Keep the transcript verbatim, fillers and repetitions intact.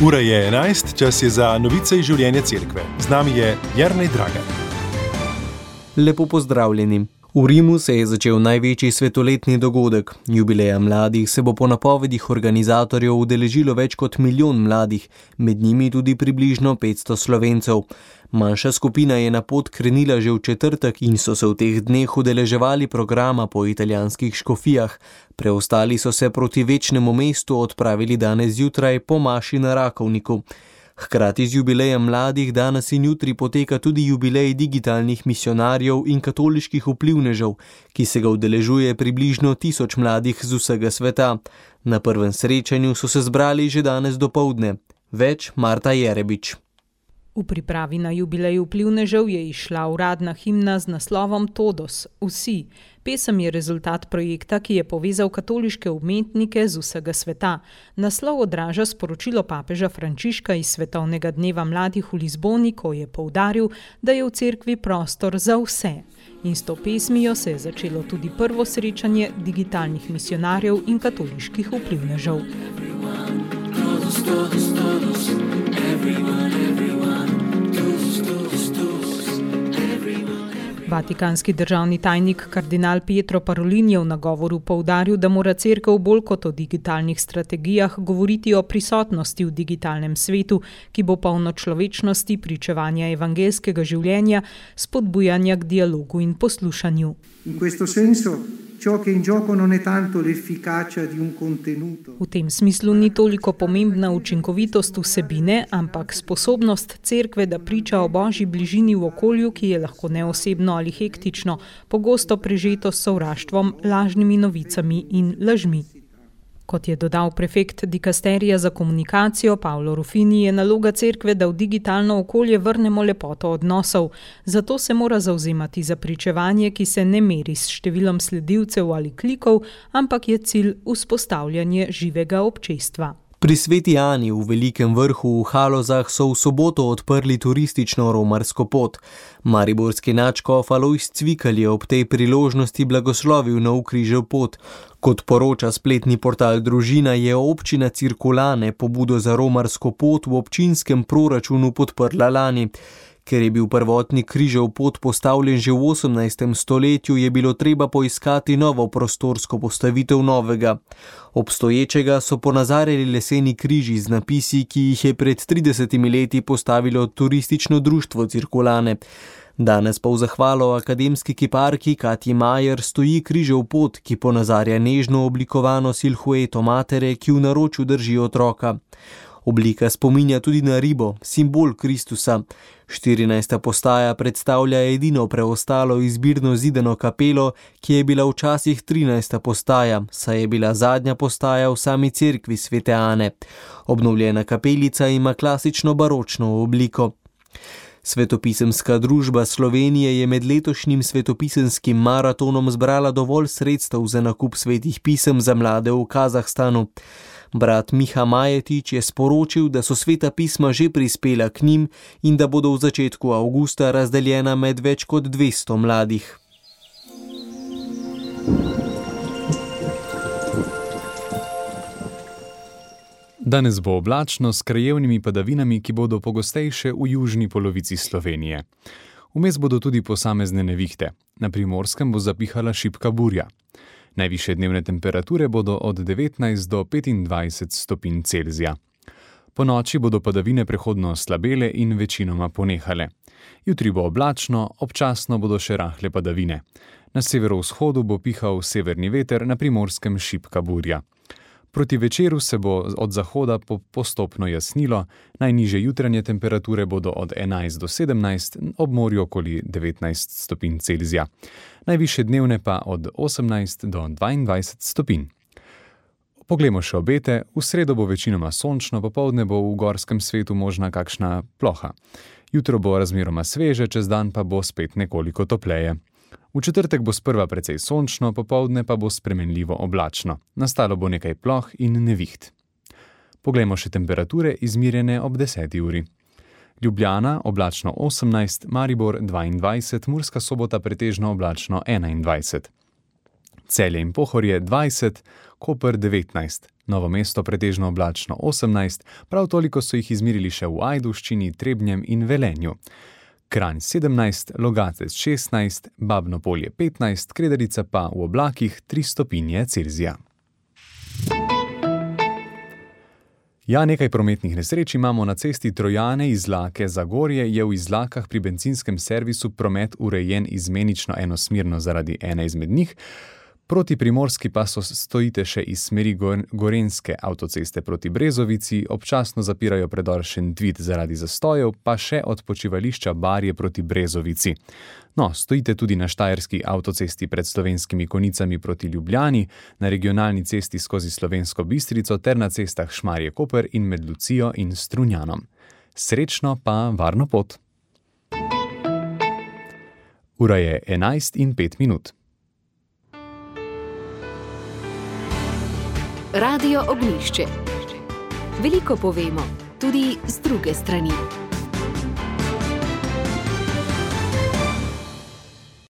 Ura je enajst, čas je za novice iz življenja cerkve. Z nami je Jernej Dragan. Lepo pozdravljeni. V Rimu se je začel največji svetoletni dogodek. Jubileja mladih se bo po napovedih organizatorjev udeležilo več kot milijon mladih, med njimi tudi približno petsto Slovencev. Manjša skupina je na pot krenila že v četrtek in so se v teh dneh udeleževali programa po italijanskih škofijah. Preostali so se proti večnemu mestu odpravili danes zjutraj po maši na Rakovniku. Hkrati z jubilejem mladih danes in jutri poteka tudi jubilej digitalnih misionarjev in katoliških vplivnežev, ki se ga udeležuje približno tisoč mladih z vsega sveta. Na prvem srečanju so se zbrali že danes dopoldne. Več Marta Jerebič. V pripravi na jubilej vplivnežev je izšla uradna himna z naslovom Todos, vsi. Pesem je rezultat projekta, ki je povezal katoliške umetnike z vsega sveta. Naslov odraža sporočilo papeža Frančiška iz Svetovnega dneva mladih v Lizboni, ko je poudaril, da je v cerkvi prostor za vse. In s to pesmijo se je začelo tudi prvo srečanje digitalnih misionarjev in katoliških vplivnežev. Vatikanski državni tajnik kardinal Pietro Parolin je v nagovoru poudaril, da mora cerkev bolj kot o digitalnih strategijah govoriti o prisotnosti v digitalnem svetu, ki bo polno človečnosti, pričevanja evangelskega življenja, spodbujanja k dialogu in poslušanju. In questo senso ciò che in gioco non è tanto l'efficacia di un contenuto. V tem smislu ni toliko pomembna učinkovitost vsebine, ampak sposobnost cerkve, da priča o Božji bližini v okolju, ki je lahko neosebno ali hektično, pogosto prežeto s sovraštvom, lažnimi novicami in lažmi. Kot je dodal prefekt dikasterija za komunikacijo Paolo Rufini, je naloga cerkve, da v digitalno okolje vrnemo lepoto odnosov. Zato se mora zavzemati za pričevanje, ki se ne meri s številom sledilcev ali klikov, ampak je cilj vzpostavljanje živega občestva. Pri Sveti Ani v Velikem vrhu v Halozah so v soboto odprli turistično romarsko pot. Mariborski nadškof Alojz Cvikl je ob tej priložnosti blagoslovil nov križev pot. Kot poroča spletni portal Družina, je občina Cirkulane pobudo za romarsko pot v občinskem proračunu podprla lani. Ker je bil prvotni križev pot postavljen že v osemnajstem stoletju, je bilo treba poiskati novo prostorsko postavitev novega. Obstoječega so ponazarjali leseni križi z napisi, ki jih je pred tridesetimi leti postavilo turistično društvo Cirkulane. Danes pa v zahvalo akademski kiparki Katji Majer stoji križev pot, ki ponazarja nežno oblikovano silhueto matere, ki v naročju drži otroka. Oblika spominja tudi na ribo, simbol Kristusa. štirinajsta postaja predstavlja edino preostalo izbirno zidano kapelo, ki je bila včasih trinajsta postaja, saj je bila zadnja postaja v sami cerkvi Svete Ane. Obnovljena kapelica ima klasično baročno obliko. Svetopisemska družba Slovenije je med letošnjim svetopisenskim maratonom zbrala dovolj sredstev za nakup svetih pisem za mlade v Kazahstanu. Brat Miha Majetič je sporočil, da so sveta pisma že prispela k njim in da bodo v začetku avgusta razdeljena med več kot dvesto mladih. Danes bo oblačno s krajevnimi padavinami, ki bodo pogostejše v južni polovici Slovenije. Vmes bodo tudi posamezne nevihte. Na Primorskem bo zapihala šibka burja. Najvišje dnevne temperature bodo od devetnajst do petindvajset stopinj Celzija. Po noči bodo padavine prehodno slabele in večinoma ponehale. Jutri bo oblačno, občasno bodo še rahle padavine. Na severovzhodu bo pihal severni veter, na Primorskem šibka burja. Proti večeru se bo od zahoda postopno jasnilo, najnižje jutranje temperature bodo od enajst do sedemnajst, ob morju okoli devetnajst stopinj Celzija. Najvišje dnevne pa od osemnajst do dvaindvajset stopinj. Poglejmo še obete. V sredo bo večinoma sončno, popoldne bo v gorskem svetu možna kakšna ploha. Jutro bo razmeroma sveže, čez dan pa bo spet nekoliko topleje. V četrtek bo sprva precej sončno, popoldne pa bo spremenljivo oblačno. Nastalo bo nekaj ploh in neviht. Poglejmo še temperature izmirjene ob deseti uri. Ljubljana oblačno osemnajst, Maribor dvaindvajset, Murska Sobota pretežno oblačno enaindvajset. Celje in Pohorje dvajset, Koper devetnajst, Novo mesto pretežno oblačno osemnajst, prav toliko so jih izmerili še v Ajdovščini, Trebnjem in Velenju. Kranj sedemnajst, Logatec šestnajst, Babno Polje petnajst, Kredarica pa v oblakih tri stopinje Celzija. Ja, nekaj prometnih nesreč imamo na cesti Trojane iz Lake Zagorje, je v Izlakah pri bencinskem servisu promet urejen izmenično enosmerno zaradi ene izmed njih. Proti Primorski pa so stojite še iz smeri Gorenjske avtoceste proti Brezovici, občasno zapirajo predor Šentvid zaradi zastojev, pa še od počivališča Barje proti Brezovici. No, stojite tudi na štajerski avtocesti pred Slovenskimi Konicami proti Ljubljani, na regionalni cesti skozi Slovensko Bistrico ter na cestah Šmarje-Koper in med Lucijo in Strunjanom. Srečno pa varno pot! Ura je enajst in pet minut. Radio Ognjišče. Veliko povemo, tudi z druge strani.